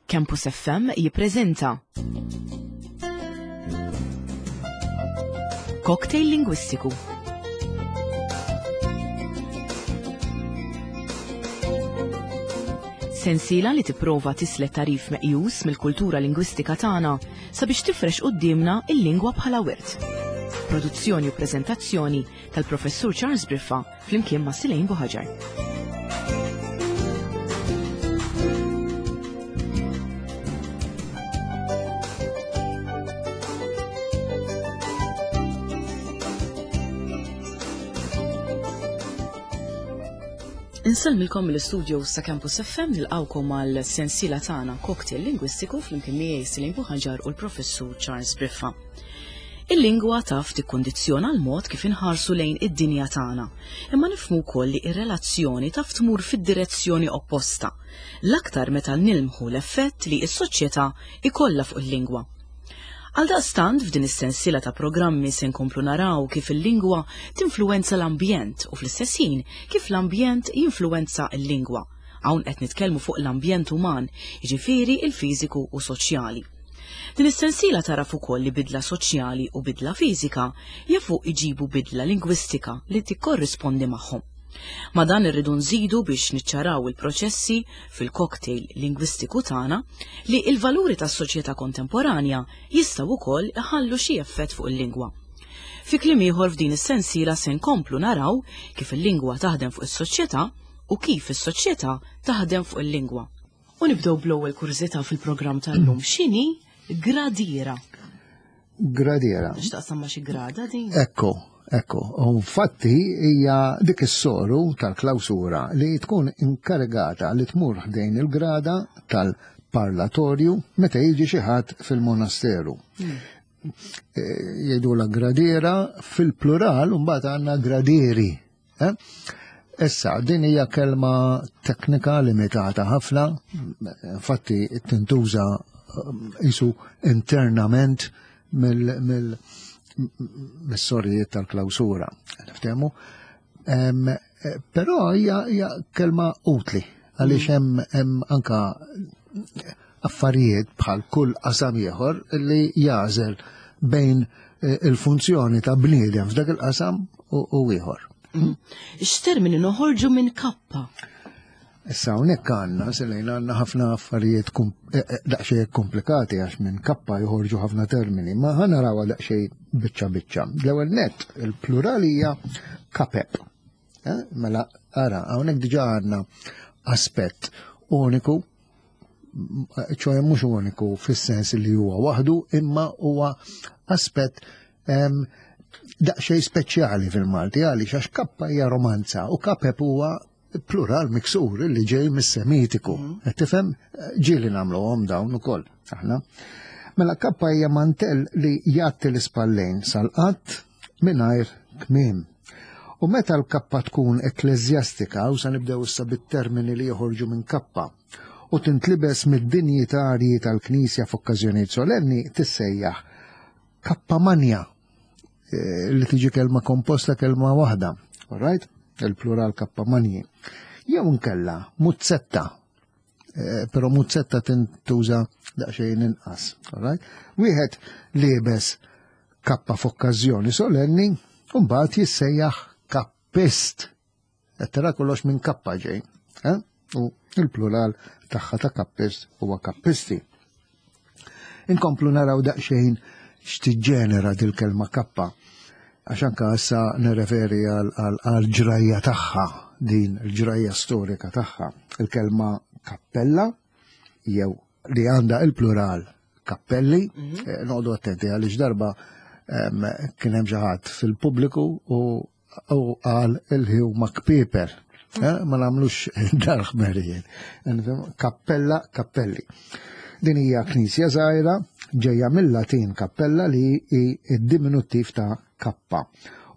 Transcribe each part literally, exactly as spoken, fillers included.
Campus F M jippreżenta Cocktail Lingwistiku. Sensiela li tipprova tislet tarif meqjus mill-kultura lingwistika tagħna sabiex tifrex quddiemna il-lingwa bħala wirt. Produzzjoni u preżentazzjoni tal-Professur Charles Briffa flimkien ma' Silejn Buħaġar. Insellmilkom mill-istudio sa' Campus F M, nilqawkom għal sensiela tagħna Cocktail Lingwistiku flimkien miegħi Silejn Buħaġar u l-Professur Charles Briffa. Il-lingwa taf tikkondizzjona l-mod kif inħarsu lejn id-dinja tagħna, imma nifhmu wkoll li r-relazzjoni taf tmur fid-direzzjoni opposta, l-aktar meta nilmħu l-effett li s-soċjetà ikollha fuq il-lingwa. Għaldaqstant f'din is-sensiela ta' programmi se nkomplu naraw kif il-lingwa tinfluwenza l-ambjent u fl-istess ħin kif l-ambjent jinfluwenza l-lingwa. Hawn qed nitkellmu fuq l-ambjent uman, jiġifieri il-fiżiku u soċjali. Din is-sensiela taraf ukoll li bidla soċjali u bidla fiżika jafu iġibu bidla lingwistika li tikkorrispondi magħhom. Ma dan irridu nżidu biex niċċaraw il-proċessi fil-cocktail lingwistiku tagħna li l-valuri tas-soċjetà kontemporanja jistgħu wkoll iħallu xi effett fuq il-lingwa. Fi kliem ieħor f'din is-sensiela se nkomplu naraw kif il-lingwa taħdem fuq is-soċjetà u kif is-soċjetà taħdem fuq il-lingwa. U nibdew bl-ewwel kurżità fil-programm tal-lum. X'inhi gradiera? Gradiera. X'taqsam ma' xi grada din? Ekku. Ekku, u infatti hija dik is-soru tal-klawsura li tkun inkarigata li tmur ħdejn il-grada tal-parlatorju meta jiġi xi ħadd fil-monasteru. Hmm. Jgħidulha gradiera fil-plural u mbagħad għandna gradieri. Eh? Issa, din hija kelma teknika limitata ħafna, infatti tintuża isu internament mill-, mill mis-sorijiet tal-klawsura. Niftehmu? Em, però hija, hija kelma utli għaliex hemm, hemm anka affarijiet bħal kull qasam ieħor li jażel bejn, eh, il-funzjoni ta' bniedem f'dak il-qasam u, u ieħor. Mm. X'termini noħorġu minn kappa? Issa hawnhekk għandna, Selejn, għandna ħafna affarijiet kum-, eh, eh, daqsxejn komplikati għax minn kappa joħorġu ħafna termini, ma ħa narawha daqsxejn biċċa biċċa. L-ewwel nett, il-plural hija kapep. Eh, mela, ara, hawnhekk diġà għandna aspett uniku, ċoħe mhux uniku fis-sens li huwa waħdu, imma huwa aspett, ehm, daqsxejn speċjali fil-Malti, għaliex għax kappa hija romanza u kapep huwa plural miksur li ġej mis-Semitiku. Mm. Qed tifhem? Ġieli nagħmluhom dawn ukoll aħna. Mela kappa hija mantell li jgħatti l-ispallejn sal-qatt mingħajr kmiem. U meta l-kappa tkun ekkleżjastika, u sa nibdew issa bit-termini li joħorġu minn kappa, u tintlibes mid-dinjitarji tal-Knisja f'okkażjonijiet solenni, tissejjaħ kappa manja, eh, li tiġi kelma komposta kelma waħda. All right? Il-plural kappa manji. Jew nkella muzzetta, eh, però muzzetta tintuża daqsxejn inqas. All right? Wieħed liebes kappa f'okkażjoni solenni, u mbagħad jissejjaħ kappist. Qed tara kollox minn kappa ġej. Eh? U il-plural tagħha ta' kappist huwa kappisti. Inkomplu naraw daqsxejn x'tiġġenera dil-kelma kappa. Għax anka issa nirreferi għal, għal, għal ġrajja tagħha, din il-ġrajja storika tagħha. Il-kelma kappella, jew li għandha il-plural kappelli, Mhm. eh, noqogħdu attenti għaliex darba, em, kien hemm xi ħadd fil-pubbliku u, u qal il-ħi huma kpiper. Eh, ma nagħmlux darħmerijiet. Kappella, kappelli. Din hija knisja żgħira ġejja mill-Latin kappella li hi d-diminuttiv ta' kappa.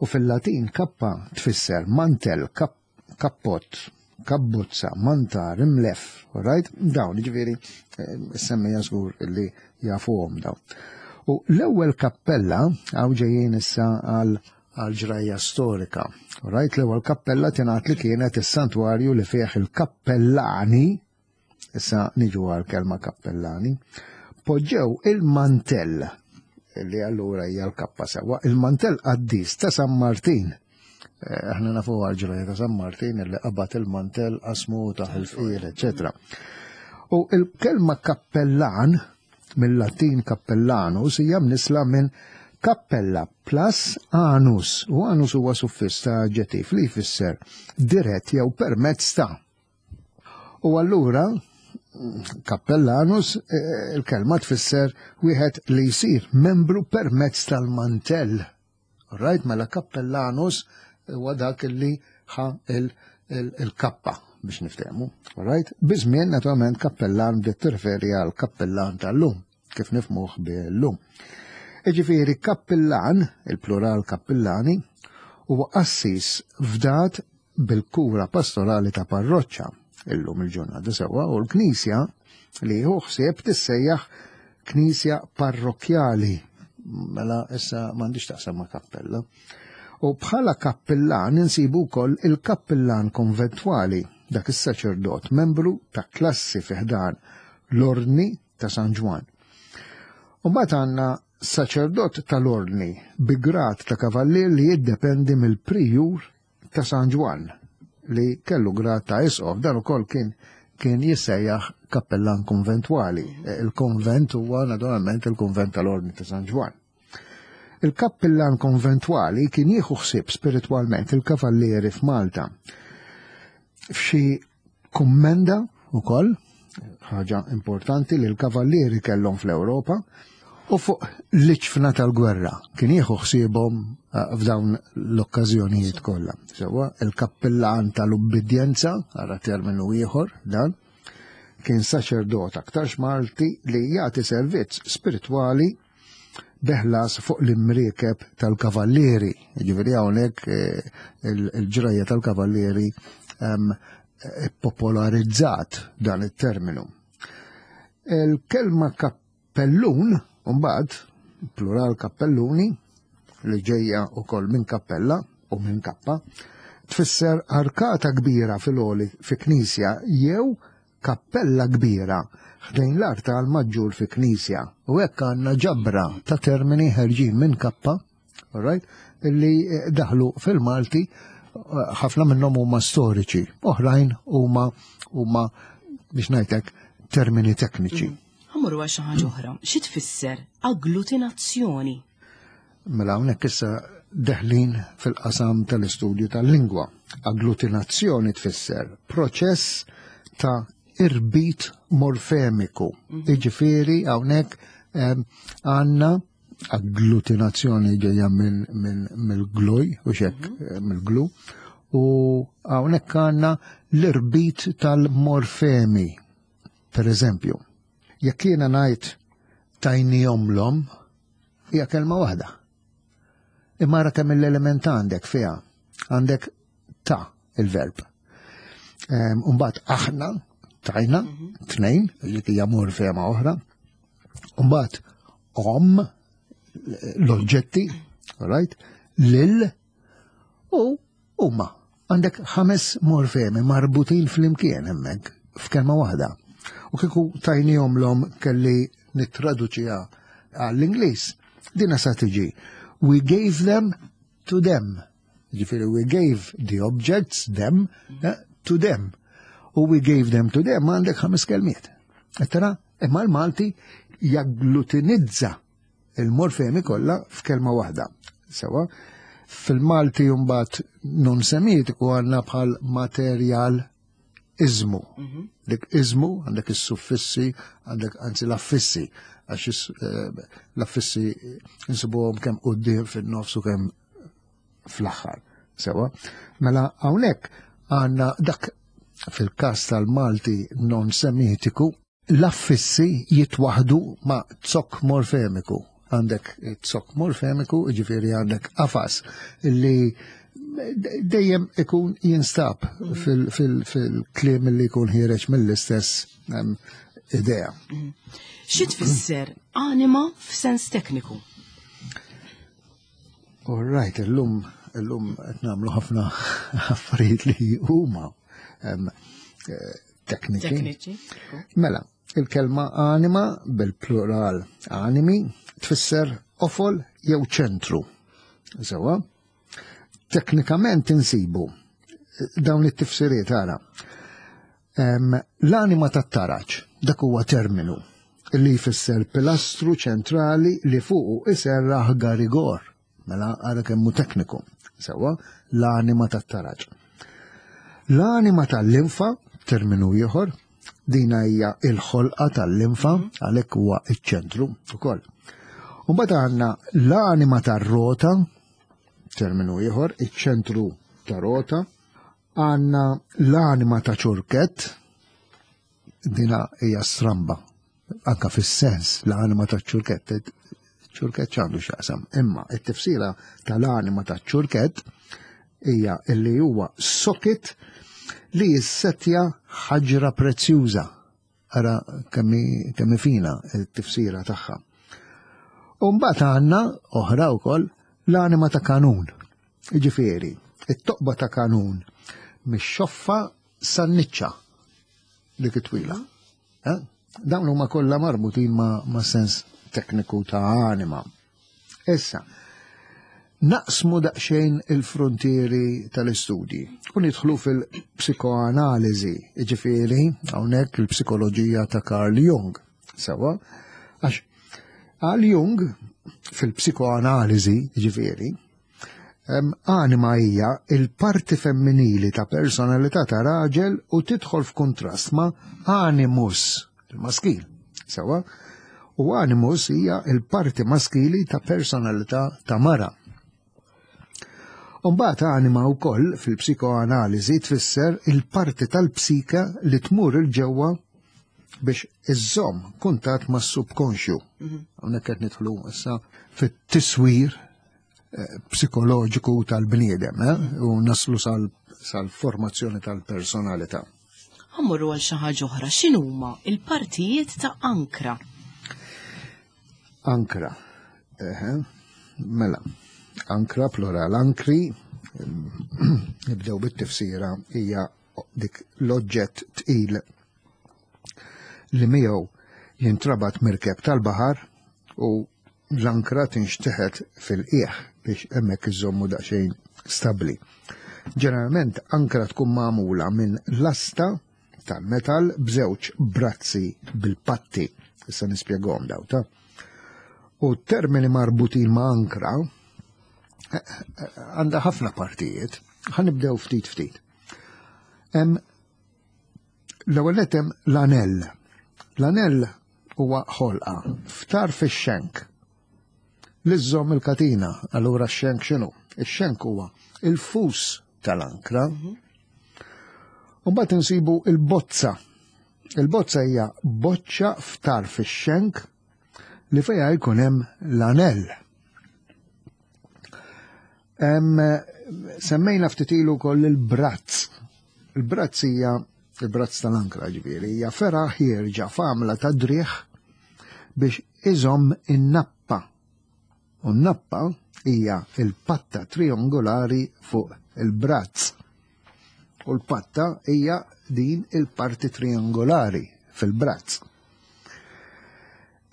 U fil-Latin kappa tfisser mantel, kap-, kappott, kabbuzza, mantar, imlef, all right? Dawn, jiġifieri, eh, semmejja żgur li jafuhom dawn. U l-ewwel kappella, hawn ġejjin issa għal, għal ġrajja storika. All right? L-ewwel kappella tingħad li kienet is-santwarju li fih il-kappellani, Issa niġu għal kelma kappellani, poġġew il-mantell, li allura hija l-kappa sewwa, il-mantell qaddis ta' San Martin. Eh, aħna nafu għal-ġraja ta' San Martin li qabad il-mantell, qasmu ta' il-fqir, eċetera. U il-kelma kappellan, mill-Latin cappellanus, hija mnisla minn cappella plus anus. U anus huwa suffiss ta' aġġettiv li jfisser dirett jew permezz ta'. U allura kappellanus, eh, il-kelma tfisser wieħed li jsir membru permezz tal-mantell. Right, mela kappellanus huwa dak li ħa il-kappa biex niftehmu. Right? Biż-żmien naturalment kappellan bdiet tirreferi għal kappellan tal-lum, kif nifhmuh bil-lum. Iġifieri kappillan, il-plural kappillani, huwa qassis fdat bil-kura pastorali ta' parroċċa illum il-ġurnata sewwa, u l-knisja li hu ħsieb tissejjaħ knisja parrokjali. Mela issa m'għandix taqsam ma' kappella. U bħala kappillan insibu wkoll il-kappillan konventwali, dak is-saċerdot, membru ta' klassi fi ħdan l-Ordni ta' San Ġwann. U mbagħad għandna saċerdot tal-Ordni bi grad ta' kavallier li jiddependi mill-prijur ta' San Ġwann li kellu grad ta' isqof, dan ukoll kien kien jissejjaħ kappellan konventwali. Il-konvent huwa naturalment il-konvent tal-Ordni ta' San Ġwann. Il-kappellan konventwali kien jieħu ħsieb spiritwalment il-kavallieri f'Malta. F'xi kummenda ukoll, ħaġa importanti li l-kavallieri kellhom fl-Ewropa, u fuq l-iġfna tal-gwerra kien jieħu ħsiebhom eh, f'dawn l-okkażjonijiet kollha. Sewwa, il-kappellan tal-ubbidjenza, ara terminu ieħor dan, kien saċerdot aktarx Malti li jagħti servizz spiritwali beħlas fuq l-imriekeb tal-kavallieri. Ġifieri hawnhekk eh, il-ġrajja tal-kavallieri ehm, popolarizzat dan it-terminu. Il-kelma kappellun, mbagħad, plural kappelluni, li ġejja wkoll minn kappella u minn kappa, tfisser arkata kbira fil-għoli fi knisja jew kappella kbira ħdejn l-artal maġġur fi knisja. U hekk għandna ġabra ta' termini ħerġin minn kappa, all right, illi daħlu fil-Malti, ħafna minnhom huma storiċi, oħrajn huma huma biex ngħidlek termini tekniċi. Ħa mmorru għal xi ħaġa oħra. Xi tfisser agglutinazzjoni? Mela hawnhekk issa deħlin fil-qasam tal-istudju tal-lingwa. Agglutinazzjoni tfisser proċess ta' irbit morfemiku. Iġifieri hawnhekk għandna agglutinazzjoni ġejja mill-glue, u xek, mill-glue, u hawnhekk għandna l-irbit tal-morfemi. Per eżempju, jekk jiena ngħid "tajnihomlhom", hija kelma waħda. Imma ara kemm l-element għandek fiha. Għandek ta' il-verb. Umbagħad aħna, tajna, tnejn, li hija morfema oħra. Umbagħad om, l-oġġetti, right? Lil, u huma. Għandek ħames morfemi marbutin fl-imkien hemmhekk f'kelma waħda. U kieku "tajnihomlhom" kelli nittraduċiha għall-Ingliż, dina sa tiġi "We gave them to them". Ġifieri we gave the objects, them, eh, to them. U "we gave them to them" għandek ħames kelmiet. Tara, imma l-Malti jagglutinizza il-morfemi kollha f'kelma waħda. Sewwa, fil-Malti mbagħad non semitiku għandna bħal materjal izmu. Dik izmu, għandek is-suffissi, għandek anzi l-affissi, għax eh, l-affissi insibuhom kemm quddiem, fin-nofs u kemm fl-aħħar. Sewwa, mela hawnhekk għandna dak fil-każ tal-Malti non semitiku, l-affissi jitwaħdu ma' zokk morfemiku. Għandek zokk morfemiku, ġifieri għandek qafas li dejjem ikun jinstab fil-kliem li jkun ħiereġ mill-istess idea. Xi tfisser anima f'sens tekniku? All right, illum illum qed nagħmlu ħafna affarijiet li huma tekniċi. Tekniċi. Mela, il-kelma anima bil-plural animi tfisser qofol jew ċentru. Sewa, teknikament insibu dawn it-tifsiriet ara. Em, L-anima tat-taraġ, dak huwa terminu li jfisser pilastru ċentrali li fuqu iserraħ garigor. Mela ara kemmu tekniku. Sewa, l-anima tat-taraġ. L-anima tal-linfa, terminu ieħor, dina hija il-ħolqa tal-linfa, għalhekk huwa iċ-ċentru ukoll. U mbagħad għandna l-anima tar-rota, terminu ieħor, iċ-ċentru ta' rota, għandna l-anima ta' ċurkett, dina hija stramba, anka fis-sens l-anima ta' ċurkett, ċurkett x'għandu x'jaqsam, imma it-tifsira tal-anima ta' ċurkett hija illi huwa socket li jissetja ħaġra prezzjuża. Ara kemmi kemmi fina t-tifsira tagħha. U mbagħad għandna oħra wkoll l-anima ta' kanun. Jiġifieri, it-toqba ta' kanun mix-xoffa san-niċċa dik it-twila. Eh? Dawn huma kollha marbutin ma', ma' sens tekniku ta' anima. Issa, naqsmu daqsxejn il-frontieri tal-istudji u nidħlu fil-psikoanaliżi, jiġifieri hawnhekk il-psikoloġija ta' Carl Jung. Sewa, għax għal Jung fil-psikoanaliżi, jiġifieri, em, anima hija il-parti femminili ta' personalità ta' raġel u tidħol f'kuntrast ma' animus, il-maskil. Sewa, u animus hija il-parti maskili ta' personalità ta' mara. Umbagħad anima wkoll fil-psikoanaliżi tfisser il-parti tal-psika li tmur 'il ġewwa biex iżżomm kuntatt mas-subkonxju. Hawnhekk qed nidħlu issa fit-tiswir eh, psikoloġiku tal-bniedem eh, u naslu sal- sal-formazzjoni tal-personalità. Ħa mmorru għal xi ħaġa oħra, x'inhuma il-partijiet ta' ankra? Ankra. Eħe, mela, ankra plural ankri, nibdew bit-tifsira hija dik l-oġġett tqil li miegħu jintrabat mirkeb tal-baħar u l-ankra tinxteħet fil-qiegħ biex hemmhekk iżommu daqsxejn stabbli. Ġeneralment ankra tkun magħmula minn lasta tal-metal b'żewġ brazzi bil-patti. Issa nispjegahom daw ta' U termini marbutin ma' ankra eh, eh, għandha ħafna partijiet. Ħa nibdew ftit ftit. Hemm l-ewwel nett hemm l-anell. L-anell huwa ħolqa f'tarf ix-xenk. Li żżomm il-katina, allura x-xenk x'inhu? Ix-xenk huwa il-fus tal-ankra. U mbagħad insibu il-bozza. Il-bozza hija boċċa f'tarf ix-xenk li fejha jkun hemm l-anell. Hemm semmejna ftit ilu wkoll il-brazz. Il-brazz hija il-brazz tal-ankra ġifieri, hija fergħa ħierġa f'għamla ta' driegħ biex iżomm in-nappa. U n-nappa hija il-patta triangolari fuq il-brazz. U l-patta hija din il-parti triangolari fil-brazz.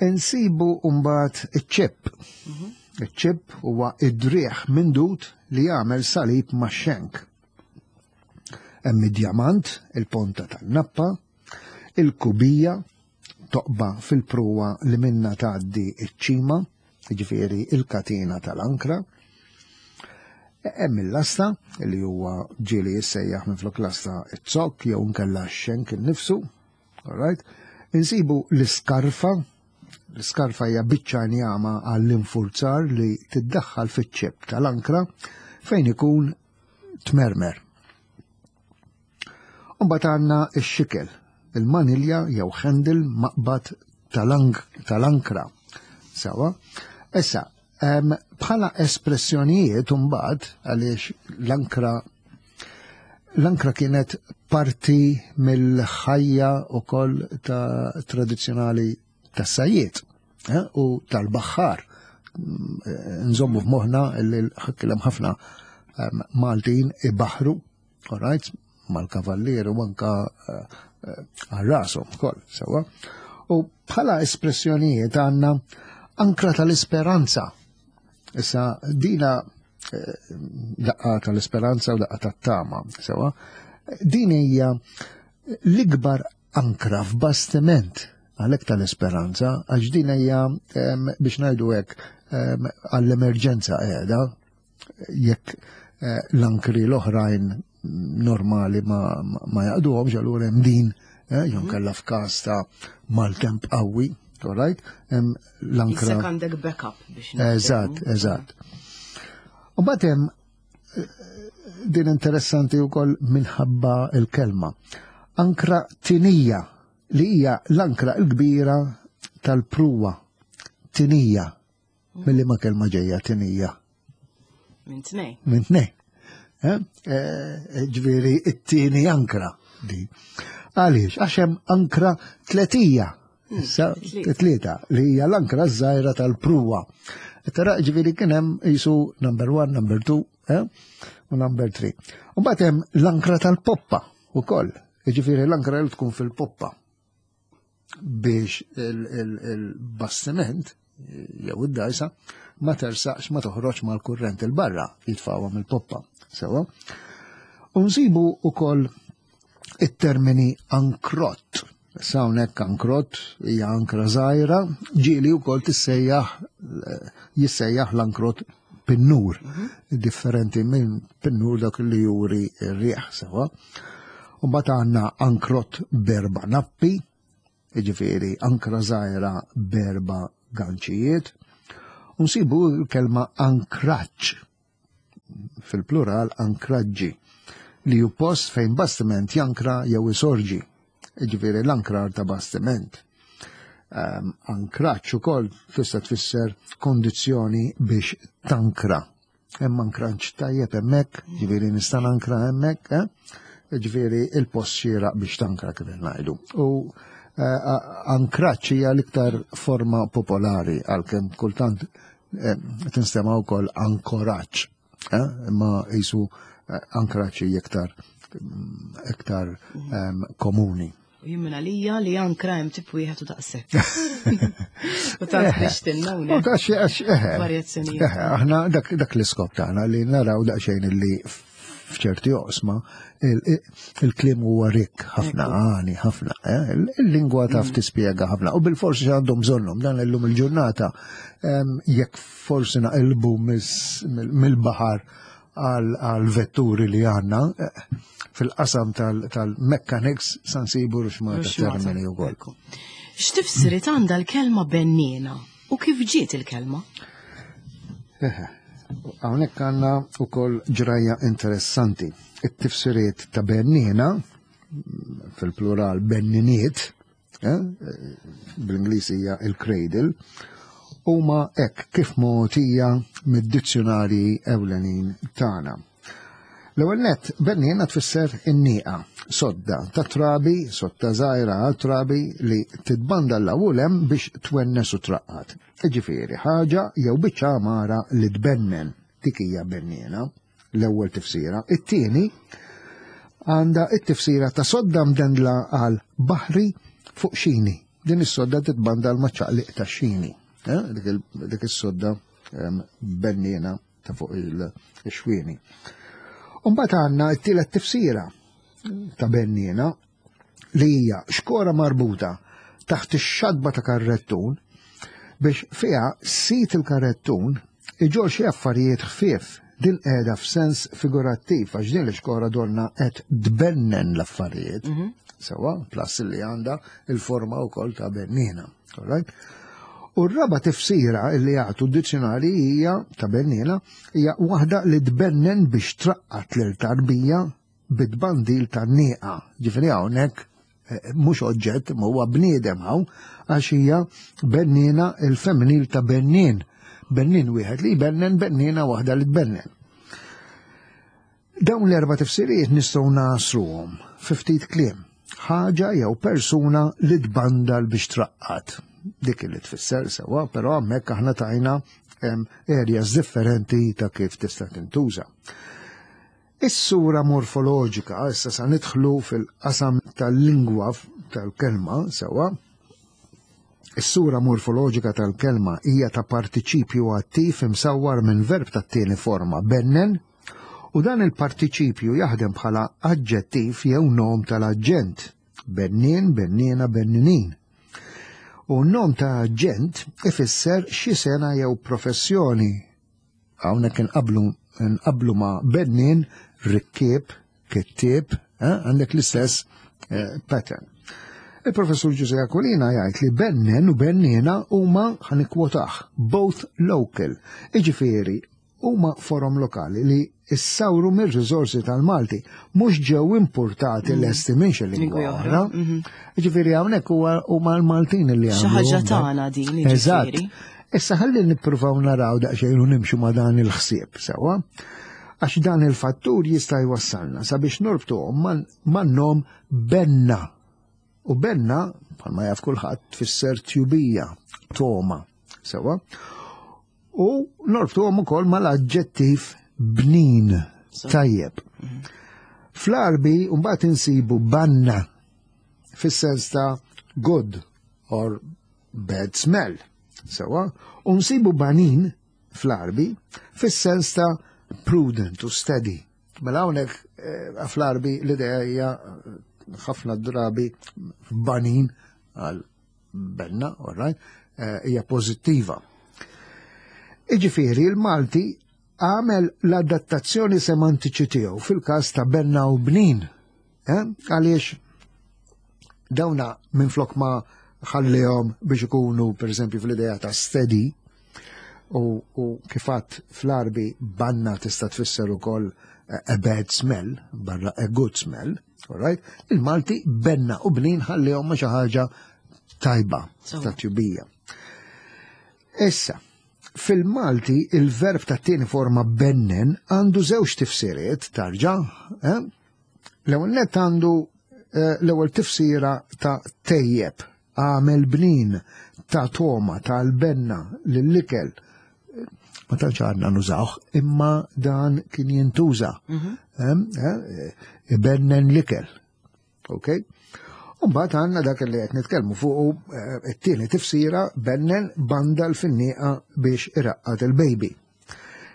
Insibu mbagħad iċ-ċip. Iċ-ċip huwa id-driegħ mindud li jagħmel salib max-xenk. Hemm id-djamant, il-ponta tan-nappa, il-kubija, toqba fil-pruwa li minna tgħaddi iċ-ċima, jiġifieri il-katina tal-ankra. Hemm il-lasta li huwa ġieli jissejjaħ minflok lasta it-zokk jew nkella x-xenk innifsu. All right? Insibu l-iskarfa, l-iskarfa hija biċċa njama għall-infurzar li tiddaħħal fiċ-ċip tal-ankra fejn ikun tmermer. Mbagħad għandna x-xikel, il-manilja jew handle maqbad tal-ankra. Sawa? Issa, bħala espressjonijiet mbagħad għaliex l-ankra l-ankra kienet parti mill-ħajja ukoll ta' tradizzjonali tas-sajjiet eh, u tal-baħħar. Nżommu f'moħħna li ħakkilem ħafna Maltin ibaħru, all right, mal-kavallier u anka eh, għal rashom ukoll, sewwa. U bħala espressjonijiet għandna ankra tal-isperanza. Issa dina daqqa tal-isperanza u daqqa tat-tama, sewwa. Din hija l-ikbar ankra f'bastiment, għalhekk tal-isperanza, għax din hija, biex ngħidu hekk, għall-emerġenza qiegħda, jekk l-ankri l-oħrajn normali ma, ma jaqduhomx, allura hemm din, jew kellha f'każ ta' maltemp qawwi, all right? L-ankra. Issa għandek backup biex. Eżatt, eżatt. U mbagħad hemm din interessanti wkoll minħabba il-kelma. Ankra tinija, li hija l-ankra l-kbira tal-pruwa. Tinija. Milli ma kelma ġejja tinija? Minn tnej. Minn tnej. Ġifieri it-tieni ankra di. Għaliex? Għax hemm ankra tletija. Issa tlieta, li hija l-ankra żgħira tal-pruwa. Tara, ġifieri kien hemm jisu number one, number two, u number three. U mbagħad hemm l-ankra tal-poppa ukoll. Ġifieri l-ankra li tkun fil-poppa biex il-bastiment jew id-dajsa ma tersaqx, ma toħroġ mal-kurrent il-barra, jitfawha mill-poppa. Sewa. U nsibu ukoll it-termini ankrott. Issa hawnhekk ankrott hija ankra żgħira, ġieli wkoll tissejjaħ jissejjaħ l-ankrott pinnur, differenti minn pinnur dak li juri r-riħ, sewa. U mbagħad għandna ankrott berba nappi, jiġifieri ankra żgħira berba ganċijiet. U nsibu l-kelma ankraġġ, fil-plural ankraġġi, li hu post fejn bastiment jankra jew isorġi, jiġifieri l-ankrar ta' bastiment. Um, ankraġġ ukoll tista' tfisser kondizzjoni biex tankra. Hemm ankraġġ tajjeb hemmhekk, ġifieri nista' nankra hemmhekk, eh? Ġifieri il-post xieraq biex tankra kif ngħidu. U uh, ankraġġ hija l-iktar forma popolari, għalkemm kultant eh, tinstema' wkoll ankoraġġ, eh? Imma jisu eh, ankraġġ hija iktar iktar um, komuni. U jien minn għalija li ankra hemm tip wieħed u daqshekk. U tant biex tinna U għax għax eħe. Varjazzjonijiet. Eħe, aħna dak, dak l-iskop tagħna li naraw daqsxejn li f'ċerti oqsma il-kliem huwa rikk ħafna, għani ħafna, eh? Il-lingwa taf tispjega ħafna. U bil-forsi għandhom bżonnhom dan illum il-ġurnata, jekk forsi naqilbu mill-baħar għal vetturi li għandna fil-qasam tal-mechanics san sibu ruxmata termini u koll. X'tifsirit għandha l-kelma benniena u kif ġiet il-kelma? Hawnhekk għandna wkoll ġrajja interessanti. It-tifsiriet ta' benniena, fil-plural benniniet, eh, bl-Ingliż hija il-cradle, huma hekk kif mogħtija mid-dizzjonarji ewlenin tagħna. L-ewwel nett, benniena tfisser in-nieqa, sodda ta' trabi, sodda żgħira għal trabi li titbanda l-ewwel hemm biex twennes u traqqat. Jiġifieri ħaġa jew biċċa għamara li tbennen, dik hija benniena, l-ewwel tifsira. It-tieni għandha t-tifsira ta' sodda mdendla għal baħri fuq xini. Din is-sodda titbanda l maċċaqliq ta' xini. Dik is-sodda benniena ta' fuq il-xwieni. Umbagħad għandna t-tielet tifsira ta' benniena li hija xkora marbuta taħt ix-xadba ta' karrettun biex fiha sit il-karrettun iġor xi affarijiet ħfief. Din qiegħda f'sens figurattiv għax din l-xkora donna qed tbennen l-affarijiet. Sewa, plus li għandha il-forma wkoll ta' benniena. All right? U r-raba tifsira li jagħtu d-dizzjonari hija ta' benniena hija waħda li tbennen biex traqqat lil tarbija bit-tbandil tan-nieqa. Ġifieri hawnhekk mhux oġġett, ma huwa bniedem hawn, għax hija benniena il-femminil ta' bennien. Bennien wieħed li jbennen, benniena waħda li tbennen. Dawn l-erba' tifsirijiet nistgħu nasruhom fi ftit kliem. Ħaġa jew persuna li tbandal biex traqqat. Dik li tfisser sewa, però hemmhekk aħna tajna areas differenti ta' kif tista' tintuża. Is-sura morfoloġika, issa sa nidħlu fil-qasam tal-lingwa tal-kelma, sewa, is-sura morfoloġika tal-kelma hija ta' partiċipju attiv imsawwar minn verb tat-tieni forma bennen, u dan il-partiċipju jaħdem bħala aġġettiv jew nom tal-aġġent, bennien, benniena, benninin. U nom ta' aġġent ifisser xi sena jew professjoni. Hawnhekk inqablu nqablu ma' bennien, rikkieb, kittieb, eh, għandek l-istess eh, pattern. Il-professur Ġużè Aquilina jgħid li bennen u benniena huma, ħa nikkwotaħ, both local. Iġifieri huma forom lokali li issawru mir-riżorsi tal-Malti, mhux ġew importati mm. lesti minn xi lingwa oħra. Mhm. Iġifieri hawnhekk huma l-Maltin li għamlu. Xi ħaġa tagħna din. Eżatt. Issa ħalli nippruvaw naraw daqsxejn u nimxu ma' dan il-ħsieb sewwa. Għax dan il-fattur jista' jwassalna sabiex norbtuhom man-nom benna. U benna, bħalma jaf kulħadd, tfisser tjubija, toma, sewwa. U norbtuhom ukoll mal-aġġettiv bnin, tajjeb. Mhm. Fl-Arbi mbagħad insibu banna fis-sens ta' good or bad smell. Sewwa, u nsibu banin fl-Arbi fis-sens ta' prudent u steady. Mela hawnhekk eh, fl-Arbi l-idea hija eh, ħafna drabi banin għal benna, all right, eh, hija pożittiva. Iġifieri il-Malti għamel l-adattazzjoni semantiċi tiegħu fil-każ ta' benna u bnin. Għaliex dawna minn flok ma ħallihom biex ikunu per eżempju fl-idea ta' steady u, u kifat fl-Arbi banna tista' tfisser ukoll a bad smell, barra a good smell, all right? Il-Malti benna u bnin ħallihom ma xi ħaġa tajba ta' tjubija. Issa, fil-Malti il-verb ta' tieni forma bennen għandu żewġ tifsiriet tarġa', eh? L-ewwel net għandu eh, l-ewwel tifsira ta' tejjeb, għamel bnin, ta' toma, ta' l-benna, l-ikel. Ma tantx għadna nużawh, imma dan kien jintuża. Mhm. Eh, ibennen l-ikel. Ok? Umbagħad għandna dak li qed nitkellmu fuq eh, it-tieni tifsira bennen banda l-finnieqa biex iraqqad il-baby.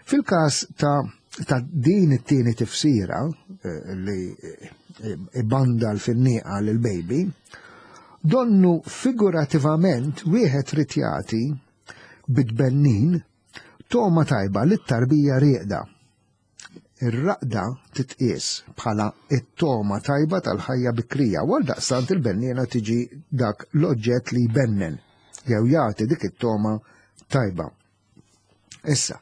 Fil-każ ta' ta' din it-tieni tifsira eh, li ibanda l-finnieqa lil-baby, donnu figurativament wieħed irid jagħti bit-tbennin toma tajba lit-tarbija rieqda. Ir-raqda titqies bħala it-toma tajba tal-ħajja bikrija, u daqstant il-benniena tiġi dak l-oġġett li jbennen jew jagħti dik it-toma tajba. Issa,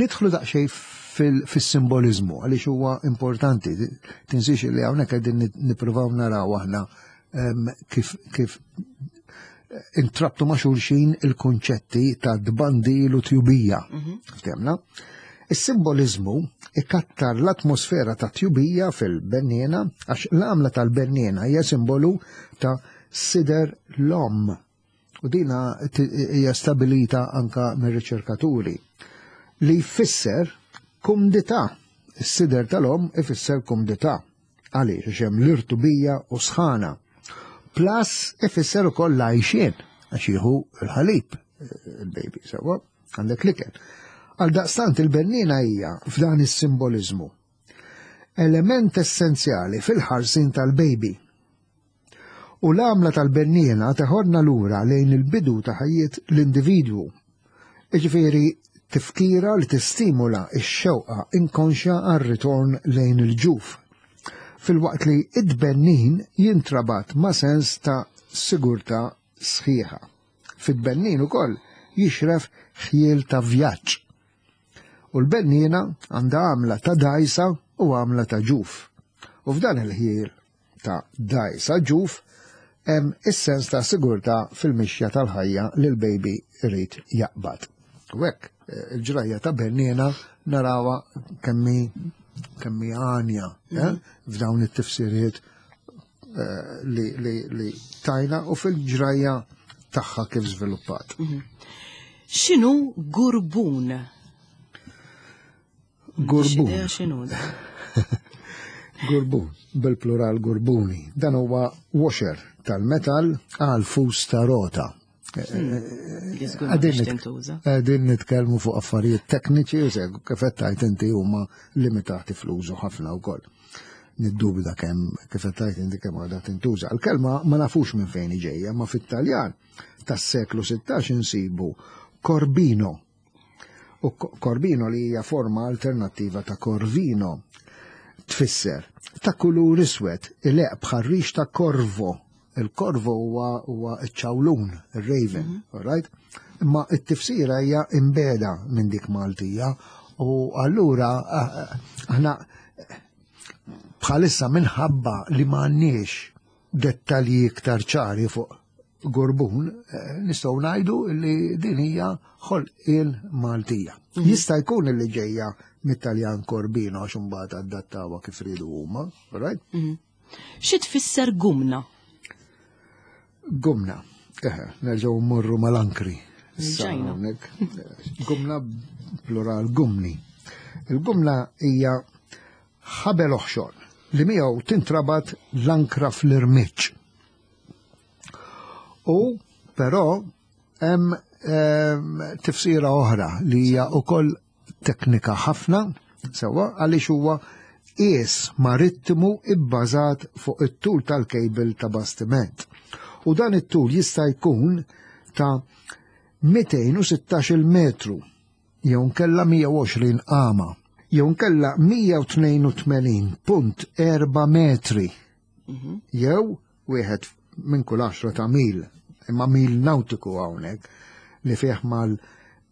nidħlu daqsxejn fil-simbolizmu għaliex huwa importanti. Tinsiex li hawnhekk qegħdin nippruvaw naraw aħna kif kif intrabtu ma' xulxin il-konċetti ta' tbandil u tjubija. Mhm. Ftemna? Is-simbolizmu ikattar l-atmosfera ta' tjubija fil-benniena għax l-għamla tal-benniena hija simbolu ta' sider l-om. U dina hija stabilita anka mir-riċerkaturi li jfisser kumdità. Is-sider tal-om ifisser kumdità. Għaliex għax hemm l-irtubija u sħana. Plus ifisser ukoll l-għajxien għax jieħu l-ħalib il-baby sewwa għandek l-ikel. Għal daqstant il-bennina hija f'dan is-simbolizmu element essenzjali fil-ħarsin tal-baby. U l-għamla tal-benniena teħodna lura lejn il-bidu ta' ħajjiet l-individwu. Iġifieri tifkira li tistimula x-xewqa inkonxja għar-ritorn lejn il-ġuf. Fil-waqt li id-bennin jintrabat ma' sens ta' sigurtà sħiħa. Fid-bennin ukoll jixref ħjiel ta' vjaġġ. U l-benniena għandha għamla ta' dajsa u għamla ta' ġuf. U f'dan il-ħjiel ta' dajsa ġuf hemm is-sens ta' sigurtà fil-mixja tal-ħajja li l-baby irid jaqbad. U hekk eh, il-ġrajja ta' benniena narawha kemmi kemmi għanja eh, mhm. f'dawn it-tifsiriet eh, li, li, li tajna u fil-ġrajja tagħha kif żviluppat. Mhm. X'inhu gurbun? Gurbun. X'inhu? Gurbun, bil-plural gurbuni. Dan huwa washer tal-metal għal fus ta' rota. Li żgur ma biex tintuża. Qegħdin nitkellmu fuq affarijiet tekniċi u seg kif qed tgħid inti huma limitati fl-użu ħafna wkoll. Niddubita kemm kif qed tgħid inti kemm għadha tintuża. Il-kelma ma nafux minn fejn ġejja, ma fit-Taljan tas-seklu sittax insibu corbino. U corbino li hija forma alternattiva ta' corvino tfisser ta' kulur iswed ileqq bħar-rix ta' corvo. Il-corvo huwa huwa ċ-ċawlun, il-raven, mm -hmm. right? Imma it-tifsira hija imbeda minn dik Maltija u allura aħna bħalissa minħabba li m'għandniex dettalji iktar ċari fuq gurbun, nistgħu ngħidu li din hija ħolqien Maltija. Mm -hmm. Jista' jkun li ġejja mit-Taljan Corbino għax imbagħad adattawha kif ridu huma, right? Mm -hmm. Xi tfisser gumna? Gumna. Eħe, nerġgħu mmorru mal-ankri. Gumna plural gumni. Il-gumna hija ħabel oħxon li miegħu tintrabat l-ankra fl-irmiġġ. U però hemm tifsira oħra li hija wkoll teknika ħafna, sewwa għaliex huwa qies marittimu ibbażat fuq it-tul tal-kejbil ta' bastiment. U dan it-tul jista' jkun ta' mitejn u sittax-il metru, jew nkella mija u għoxrin qama, jew nkella mija u tnejn u tmenin punt erba' metri, jew wieħed minn kull għaxra ta' mil, imma mil nautiku hawnhekk, li fih mal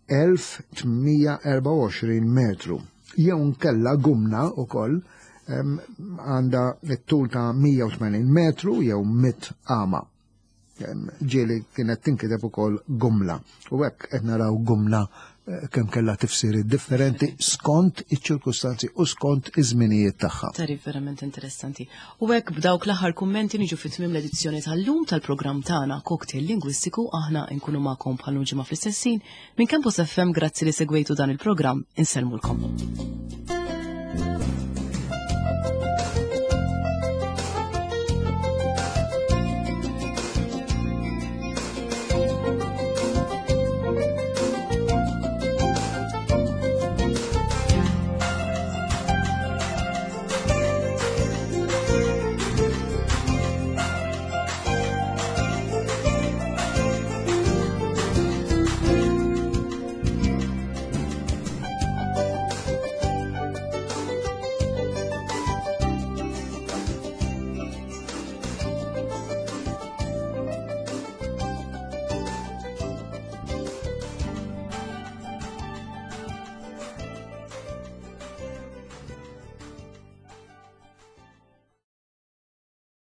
elf tmija erba' u għoxrin metru. Jew nkella gumna wkoll għandha t-tul ta' mija u tmenin metru jew mit qama. Ġieli kienet tinkiteb ukoll gumla. U hekk qed naraw gumla kemm kellha tifsiriet differenti skont iċ-ċirkustanzi u skont iż-żminijiet tagħha. Tarif verament interessanti. U hekk b'dawk l-aħħar kummenti niġu fi tmiem l-edizzjoni tal-lum tal-programm tagħna Cocktail Lingwistiku. Aħna nkunu magħkom bħal ġimgħa fl-istess ħin minn Campus F M. Grazzi li segwejtu dan il-programm. Insellmulkom.